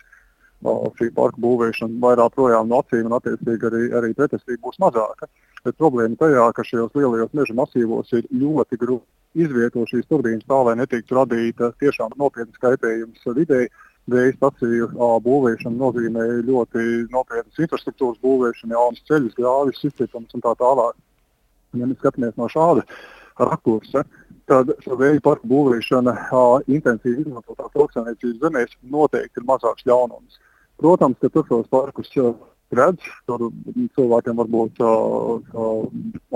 šī parka būvēšana vairāk projām no acīm, un attiecīgi arī pretestība būs mazāka. Bet problēma tajā, ka šajos lielajos meža masīvos ir ļoti grūti izvietot šīs turbīnas tā, lai netiktu radīta tiešām nopietnas kaitējums videi. Vēja staciju būvēšana nozīmē ļoti nopietnas infrastruktūras būvēšana, jaunas ceļus, grāvis, izcirtums un tā tālāk. Ja mēs skatāmies no šāda rakursa, tad vēja parku būvēšana intensīvi izmantotās lauksaimniecības zemēs noteikti ir mazāks ļaunums. Protams, ka tur šos parkus redz, tur cilvēkiem var būt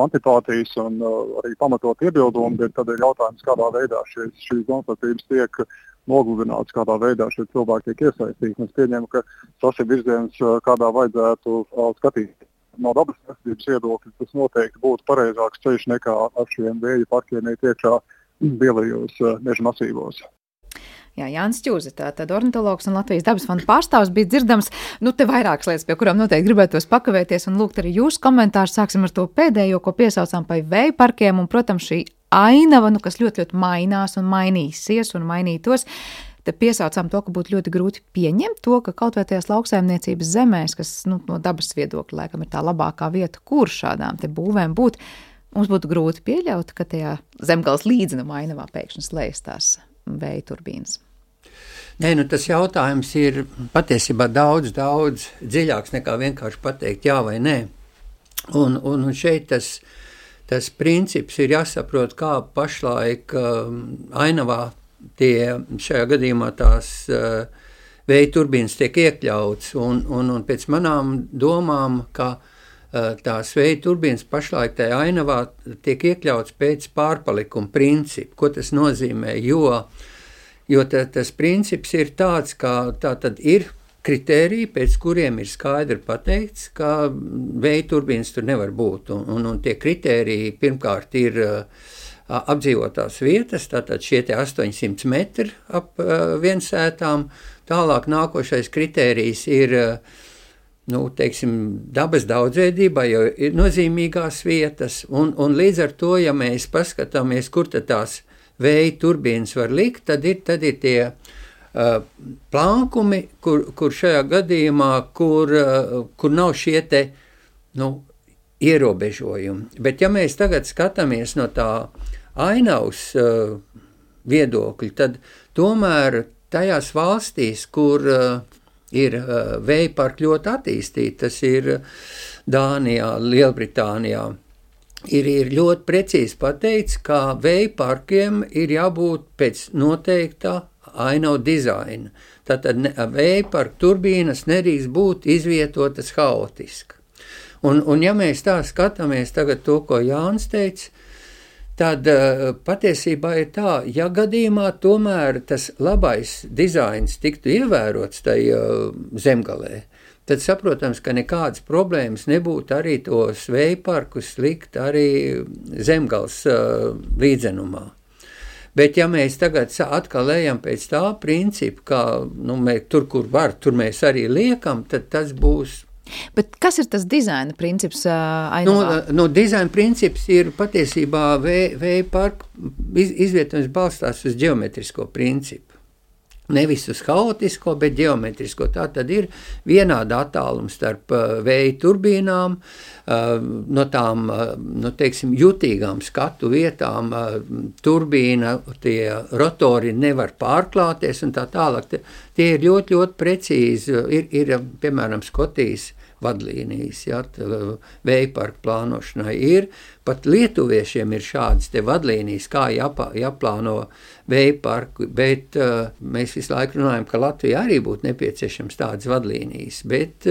antipātijas un arī pamatot iebildumi, bet tad ir jautājums, kādā veidā šīs domstarpības tiek nogludināts, kādā veidā šie cilvēki tiek iesaistīti. Es pieņemu, ka tas ir virziens, kādā vajadzētu skatīt. No dabas aizsardzības viedokļa tas noteikti būtu pareizāks ceļš nekā ar šiem vēja parkiem iet iekšā lielajos meža masīvos. Jā, Jānis Čuze, tātad ornitologs un Latvijas dabas fonda pārstāvs bija dzirdams, te vairākas lietas, pie kurām noteikti gribētos pakavēties un lūgt arī jūsu komentārus. Sāksim ar to pēdējo, ko piesaucām par vēja parkiem un, protams, šī ainava, kas ļoti, ļoti mainās un mainīsies un mainītos. Te piesaucām to, ka būtu ļoti grūti pieņemt to, ka kaut vai tajās lauksaimniecības zemēs, kas no dabas viedokļa laikam ir tā labākā vieta, kur šādām te būvēm būt, mums būtu grūti pieļaut, ka tajā zemgales līdzenuma ainavā pēkšņi slējas tās vēja turbīnas. Nē, tas jautājums ir patiesībā daudz dziļāks nekā vienkārši pateikt jā vai nē. Un šeit tas princips ir jāsaprot, kā pašlaik ainavā šajā gadījumā tās vēja turbīnas tiek iekļauts. Un pēc manām domām, ka tās vēja turbīnas pašlaik tajā ainavā tiek iekļauts pēc pārpalikuma principa. Ko tas nozīmē? Jo tas princips ir tāds, ka tā tad ir kritēriji, pēc kuriem ir skaidri pateikts, ka vēja turbīnas tur nevar būt. Un tie kritēriji pirmkārt ir apdzīvotās vietas, tātad šie 800 metri ap viensētām. Tālāk nākošais kritērijs ir dabas daudzveidībā, jo ir nozīmīgās vietas. Un līdz ar to, ja mēs paskatāmies, kur tad tās vēja turbīnas var likt, tad ir tie plankumi, kur šajā gadījumā, kur nav šie ierobežojumi. Bet ja mēs tagad skatāmies no tā ainavas viedokļa, tad tomēr tajās valstīs, kur ir vēja parki ļoti attīstīti, tas ir Dānijā, Lielbritānijā, ir ļoti precīzi pateikts, ka vēja parkiem ir jābūt pēc noteiktā ainavu dizaina. Tātad vēja parku turbīnas nedrīkst būt izvietotas haotiski. Un ja mēs tā skatāmies tagad to, ko Jānis teica, tad patiesībā ir tā, ja gadījumā tomēr tas labais dizains tiktu ievērots tajā zemgalē, tad saprotams, ka nekādas problēmas nebūtu arī tos vēja parkus likt arī zemgals līdzenumā. Bet ja mēs tagad atkal ejam pēc tā principa, ka tur, kur var, tur mēs arī liekam, tad tas būs. Bet kas ir tas dizaina princips ainavā? Dizaina princips ir patiesībā vēja parku izvietojums balstās uz ģeometrisko principu. Nevis uz haotisko, bet ģeometrisko. Tā tad ir vienāda attāluma starp vēja turbīnām, no tām, jutīgām skatu vietām, turbīna, tie rotori nevar pārklāties un tā tālāk. Tie ir ļoti, ļoti precīzi. Ir piemēram, Skotijas vadlīnijas, vēja parku plānošanai ir. Pat lietuviešiem ir šādas te vadlīnijas, kā jāplāno vēja parku, bet mēs visu laiku runājam, ka Latvijā arī būtu nepieciešams tādas vadlīnijas, bet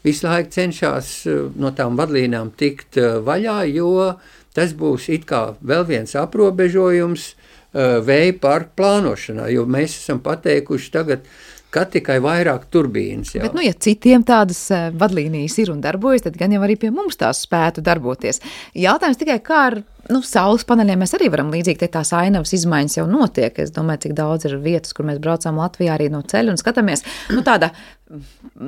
visu laiku cenšas no tām vadlīnām tikt vaļā, jo tas būs it kā vēl viens aprobežojums vēja parku plānošanā, jo mēs esam pateikuši tagad, ka tikai vairāk turbīnas. Jā. Bet, ja citiem tādas vadlīnijas ir un darbojas, tad gan jau arī pie mums tās spētu darboties. Jautājums tikai, kā ar saules paneļiem mēs arī varam līdzīgi, tās ainavas izmaiņas jau notiek. Es domāju, cik daudz ir vietas, kur mēs braucām Latvijā arī no ceļa un skatāmies, tāda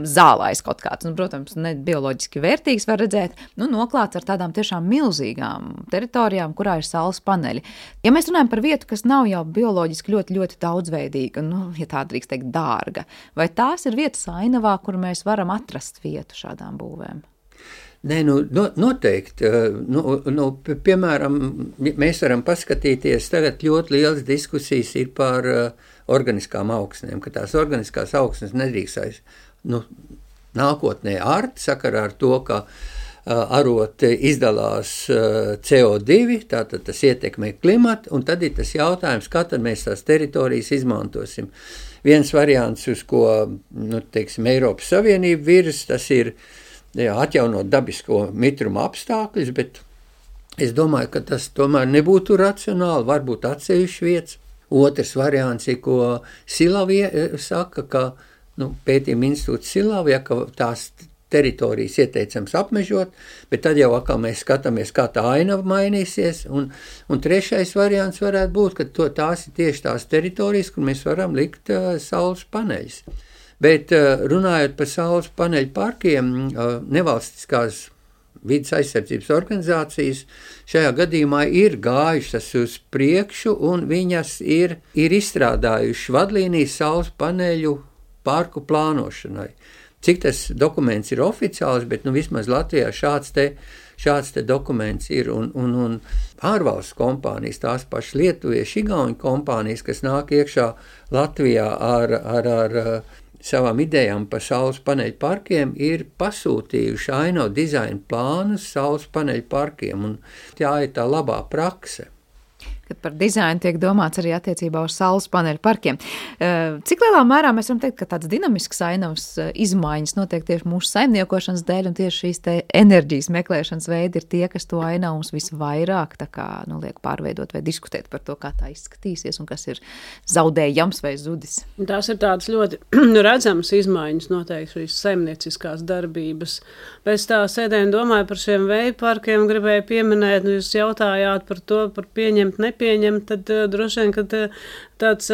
zālais kaut kāds, protams, ne bioloģiski vērtīgs var redzēt, noklāts ar tādām tiešām milzīgām teritorijām, kurā ir saules paneļi. Ja mēs runājam par vietu, kas nav jau bioloģiski ļoti, ļoti daudzveidīga, ja tā drīkst teikt dārga, vai tās ir vietas ainavā, kur mēs varam atrast vietu šādām būvēm? Nē, noteikti. Piemēram, mēs varam paskatīties, tagad ļoti lielas diskusijas ir par organiskām augsnēm, ka tās organiskās augsnes nedrīkst nākotnē ārt sakarā ar to, ka arot izdalās CO2, tātad tas ietekmē klimatu, un tad ir tas jautājums, kā tad mēs tās teritorijas izmantosim. Viens variants, uz ko, Eiropas Savienība virs, tas ir atjaunot dabisko mitruma apstākļus, bet es domāju, ka tas tomēr nebūtu racionāli, varbūt atsevišķi vietas. Otrs variants ir, ko Silavija saka, ka pētījuma institūts Silavija, ka tās teritorijas ieteicams apmežot, bet tad jau atkal mēs skatāmies, kā tā ainava mainīsies, un trešais variants varētu būt, ka tās ir tieši tās teritorijas, kur mēs varam likt saules paneļus. Bet runājot par saules paneļu parkiem, nevalstiskās vides aizsardzības organizācijas šajā gadījumā ir gājušas uz priekšu, un viņas ir izstrādājuši vadlīnijas saules paneļu parku plānošanai. Cik tas dokuments ir oficiāls, bet vismaz Latvijā šāds te dokuments ir, un ārvalstu kompānijas, tās pašas lietuviešu, igauņu kompānijas, kas nāk iekšā Latvijā ar savām idejām par saules paneļu parkiem, ir pasūtījuši ainavu dizaina plānus saules paneļu parkiem, un tā ir tā labā prakse. Kad par dizainu tiek domāts arī attiecībā uz saules paneļu parkiem. Cik lielā mērā mēs varam teikt, ka tāds dinamisks ainavas izmaiņas notiek tieši mūsu saimniekošanas dēļ, un tieši šīs te enerģijas meklēšanas veidi ir tie, kas to ainavu mums visvairāk liek pārveidot vai diskutēt par to, kā tā izskatīsies un kas ir zaudējams vai zudis? Tās ir tādas ļoti redzamas izmaiņas noteikti šīs saimnieciskās darbības. Pēc tā sēdēju domāju par šiem vēju parkiem, gribēju pieminēt, jūs jautājāt par to, par pieņemt, nepieņemt, tad droši vien, kad tāds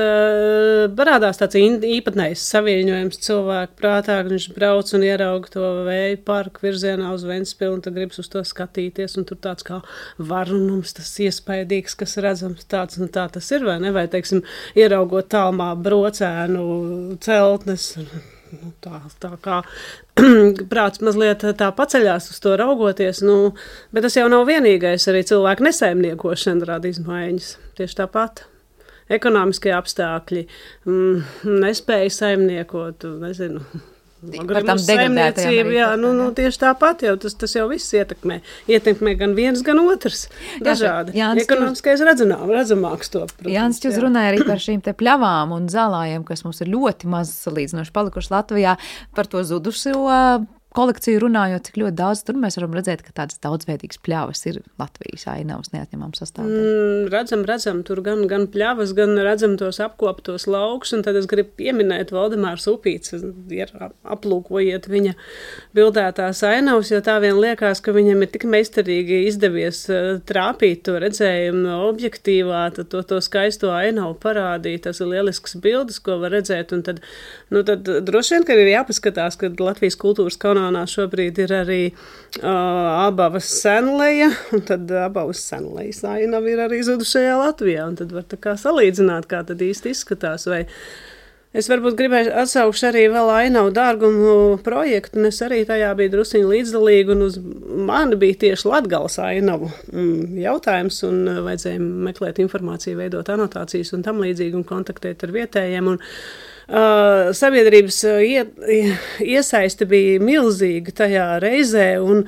parādās tāds īpatnējs savienojums cilvēku prātā, kad viņš brauc un ierauga to vēju parku virzienā uz Ventspili, un tad gribas uz to skatīties, un tur tāds kā varunums, tas iespaidīgs, kas redzams tāds, un tā tas ir, vai ne? Vai, teiksim, ieraugot tālumā brocēnu celtnes, tā kā prāts mazliet tā paceļās uz to raugoties, bet tas jau nav vienīgais, arī cilvēku nesaimniekošana rada izmaiņas, tieši tāpat. Ekonomiskie apstākļi, nespēja saimniekot, nezinu, par tām degradētajām jā, tieši tāpat jau, tas jau viss ietekmē gan viens, gan otrs, dažādi. Ekonomiskais redzamāks to. Protams, Jānis Čuz runāja arī par šīm te pļavām un zālājiem, kas mums ir ļoti maz salīdzinoši palikuši Latvijā, par to zudušo kolekciju runājot, cik ļoti daudz tur mēs varam redzēt, ka tādas daudzveidīgas pļavas ir Latvijas ainavas neatņemama sastāvdaļa. Redzam, tur gan pļavas, gan redzam tos apkoptos laukus, un tad es gribu pieminēt Valdemārs Upīts, aplūkojiet viņa bildētās ainavas, jo tā vien liekas, ka viņam ir tik meistarīgi izdevies trāpīt to redzējumu no objektīvā, tad to skaisto ainavu parādīt, tas ir lielisks bildes, ko var redzēt, un tad droši vien, ka ir jāpaskatās, ka Latvijas kultūras kanālā šobrīd ir arī Abavas Senleja, un tad Abavas Senlejas ainava ir arī zudušajā Latvijā, un tad var tā kā salīdzināt, kā tad īsti izskatās, vai es varbūt gribēju atsaukšu arī vēl ainavu dārgumu projektu, un es arī tajā biju drusiņi līdzdalīgi, un uz mani bija tieši Latgales ainavu jautājums, un vajadzēja meklēt informāciju, veidot anotācijas un tam līdzīgi, un kontaktēt ar vietējiem, un sabiedrības iesaiste bija milzīga tajā reizē, un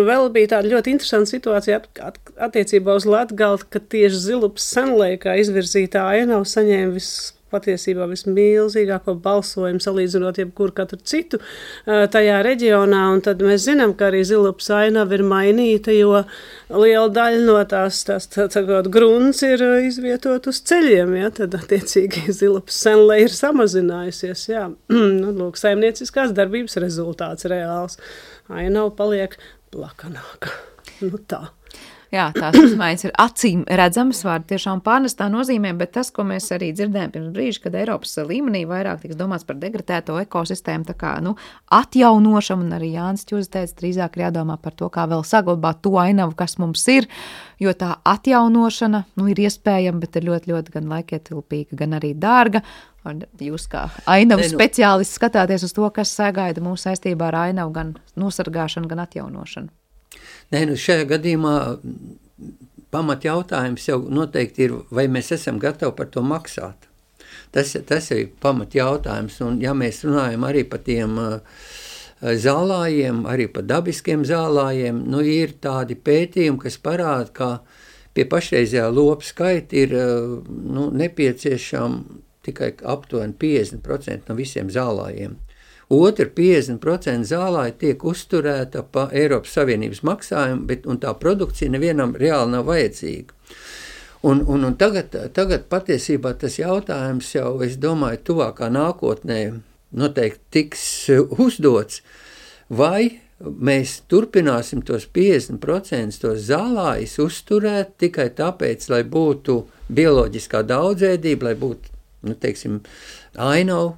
vēl bija tāda ļoti interesanta situācija attiecībā uz Latgali, ka tieši Zilupas Senleja kā izvirzītā ainava saņēma patiesībā vismilzīgāko balsojumu salīdzinot jebkuru katru citu tajā reģionā, un tad mēs zinām, ka arī Zilupas ainava ir mainīta, jo liela daļa no tās grunts ir izvietot uz ceļiem, ja, tad attiecīgi Zilupas Senleja ir samazinājusies, jā. Lūk, saimnieciskās darbības rezultāts reāls. Ainava paliek plakanāka. Tā. Jā, tās izmaiņas ir acīm redzamas, vārdi tiešām pārnestā nozīmē, bet tas, ko mēs arī dzirdējām pirms brīža, kad Eiropas līmenī vairāk tiks domāts par degradēto ekosistēmu, tā kā, atjaunošanu, un arī Jānis Čuz teica, drīzāk ir jādomā par to, kā vēl saglabāt to ainavu, kas mums ir, jo tā atjaunošana, ir iespējama, bet ir ļoti, ļoti gan laikietilpīga, gan arī dārga. Un jūs kā ainavu speciālisti skatāties uz to, kas sagaida mūsu saistībā ar ainavu gan nosargāšanu, gan atjaunošanu. Šajā gadījumā pamat jautājums jau noteikti ir, vai mēs esam gatavi par to maksāt. Tas ir pamat jautājums, un ja mēs runājam arī par tiem zālājiem, arī par dabiskiem zālājiem, ir tādi pētījumi, kas parāda, ka pie pašreizējā lopu skaita ir nepieciešama tikai aptuveni 50% no visiem zālājiem. Otri 50% zālāji tiek uzturēta pa Eiropas Savienības maksājumu, un tā produkcija nevienam reāli nav vajadzīga. Un tagad patiesībā tas jautājums jau, es domāju, tuvākā nākotnē noteikti tiks uzdots, vai mēs turpināsim tos 50% tos zālājus uzturēt tikai tāpēc, lai būtu bioloģiskā daudzveidība, lai būtu, ainavu,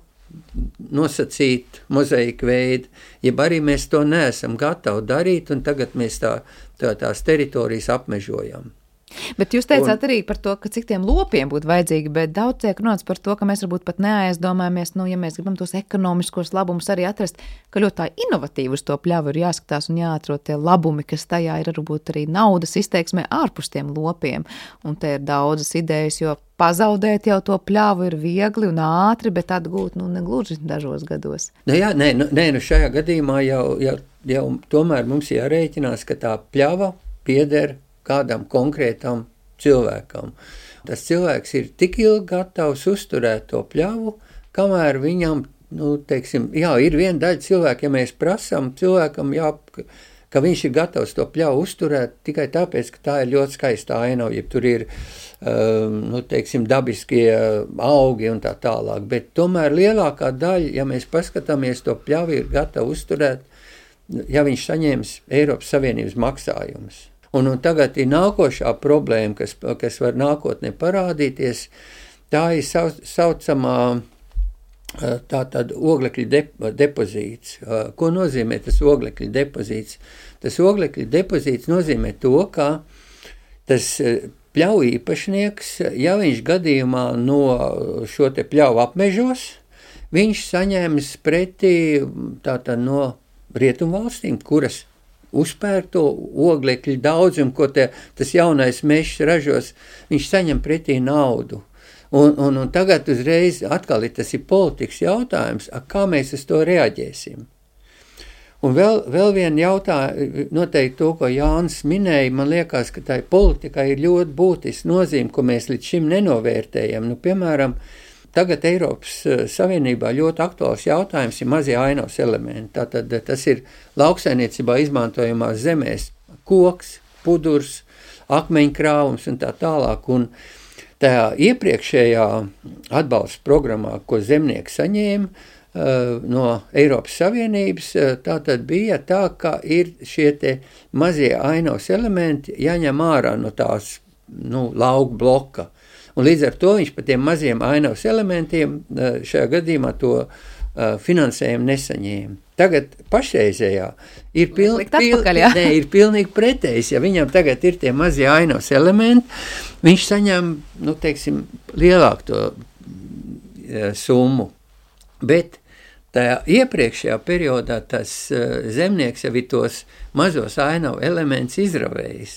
nosacīt mozaika veidu, jeb arī mēs to neesam gatavi darīt, un tagad mēs tās teritorijas apmežojam. Bet jūs teicāt arī par to, ka cik tiem lopiem būtu vajadzīgi, bet daudz tiek runāts par to, ka mēs varbūt pat neaizdomājamies, ja mēs gribam tos ekonomiskos labumus arī atrast, ka ļoti tā inovatīvi uz to pļavu ir jāskatās un jāatrod tie labumi, kas tajā ir varbūt arī naudas izteiksmē ārpus tiem lopiem. Un te ir daudzas idejas, jo pazaudēt jau to pļavu ir viegli un ātri, bet atgūt, negluži dažos gados. Šajā gadījumā jau tomēr mums jārēķinās, ka tā pļava pieder kādam konkrētam cilvēkam. Tas cilvēks ir tik ilgi gatavs uzturēt to pļavu, kamēr viņam, ir viena daļa cilvēka, ja mēs prasām cilvēkam, ka viņš ir gatavs to pļavu uzturēt tikai tāpēc, ka tā ir ļoti skaista ainava, ja tur ir, dabiskie augi un tā tālāk. Bet tomēr lielākā daļa, ja mēs paskatāmies, to pļavu ir gatava uzturēt, ja viņš saņems Eiropas Savienības maksājumus. Un tagad ir nākošā problēma, kas var nākotnē parādīties, tā ir saucamā tātad oglekļa depozīts. Ko nozīmē tas oglekļa depozīts? Tas oglekļa depozīts nozīmē to, ka tas pļauju īpašnieks, ja viņš gadījumā no šo te pļauju apmežos, viņš saņems pretī tātad no rietumvalstīm, kuras uzpēr to oglekļu daudzumu, ko tas jaunais mežs ražos, viņš saņem pretī naudu. Un tagad uzreiz atkal tas ir politikas jautājums, kā mēs uz to reaģēsim. Un vēl viena jautājuma, noteikti to, ko Jānis minēja, man liekas, ka tai politikai ir ļoti būtiska nozīme, ko mēs līdz šim nenovērtējam. Piemēram, tagad Eiropas Savienībā ļoti aktuāls jautājums ir mazie ainavas elementi. Tātad tas ir lauksainiecībā izmantojamās zemēs koks, pudurs, akmeņkrāvums un tā tālāk. Un tajā iepriekšējā atbalsta programmā, ko zemnieki saņēma no Eiropas Savienības, tātad bija tā, ka ir šie te mazie ainavas elementi jāņem ārā no tās lauku bloka. Un līdz ar to viņš par tiem maziem ainavas elementiem šajā gadījumā to finansējumu nesaņēma. Tagad pašreizējā ir pilnīgi pretējs. Ja viņam tagad ir tie mazie ainavas elementi, viņš saņem, lielāku to summu. Bet tajā iepriekšējā periodā tas zemnieks jau ir tos mazos ainavu elementus izravējis.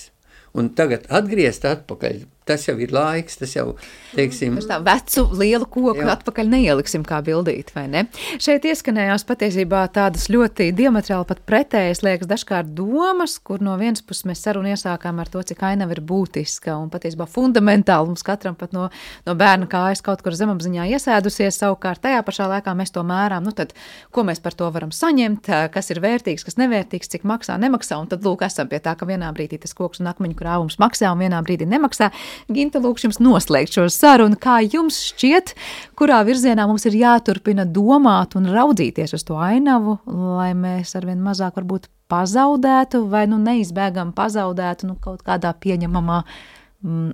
Un tagad atgriezt atpakaļ, tas jau ir laiks, tas jau, Tā vecu lielu koku atpakaļ neieliksim kā bildīt, vai ne? Šeit ieskanējās patiesībā tādas ļoti diametrāli pat pretējas, liekas, dažkārt domas, kur no vienas puses mēs sarunu iesākām ar to, cik ainava ir būtiska un patiesībā fundamentāli mums katram pat no bērna kājas kaut kur zemapziņā iesēdusies, savukārt tajā pašā laikā mēs to mērām, tad ko mēs par to varam saņemt, kas ir vērtīgs, kas nevērtīgs, cik maksā, nemaksā, un tad lūk esam pie tā, ka vienā brīdī tas koks un akmeņu krāvums maksā un vienā brīdī nemaksā. Ginta, lūkšu jums noslēgt šo sarunu. Kā jums šķiet, kurā virzienā mums ir jāturpina domāt un raudzīties uz to ainavu, lai mēs arvien mazāk varbūt pazaudētu vai neizbēgam pazaudētu kaut kādā pieņemamā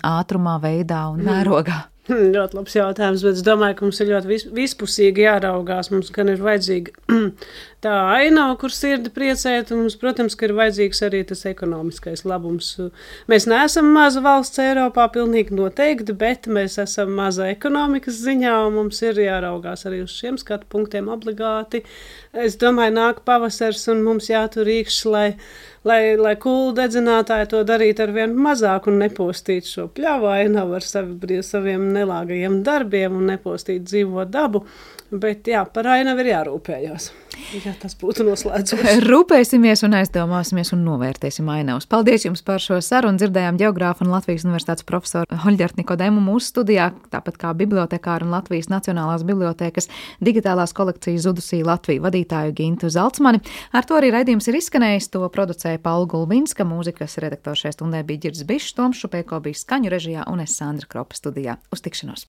ātrumā, veidā un mērogā? Ļoti labs jautājums, bet es domāju, ka mums ir ļoti vispusīgi jāraugās. Mums gan ir vajadzīga tā ainava, kur sirdi priecēt, un mums, protams, ka ir vajadzīgs arī tas ekonomiskais labums. Mēs neesam maza valsts Eiropā, pilnīgi noteikti, bet mēs esam maza ekonomikas ziņā, un mums ir jāraugās arī uz šiem skatu punktiem obligāti. Es domāju, nāk pavasars, un mums jātur rīkšs, lai kūlu dedzinātāji to darītu ar vien mazāk un nepostītu šo pļavu ainavu ar saviem nelāgajiem darbiem un nepostītu dzīvo dabu. Bet par ainavu ir jārūpējās. Ja tas būtu noslēdzos. Rūpēsimies un aizdomāsimies un novērtēsim ainavus. Paldies jums par šo sarunu. Dzirdējām ģeogrāfu un Latvijas Universitātes profesoru Hoļģertu Nikodemu mūsu studijā, tāpat kā bibliotekāru un Latvijas Nacionālās bibliotēkas digitālās kolekcijas Zudusī Latviju vadītāju Gintu Zalcmani. Ar to arī raidījums ir izskanējis. To producēja Paula Gulbinska, mūzikas redaktors šajā stundē bija Ģirds Bišs, Toms Šupēko bija skaņu režijā un es Sandra Kropa studijā. Uz tikšanos!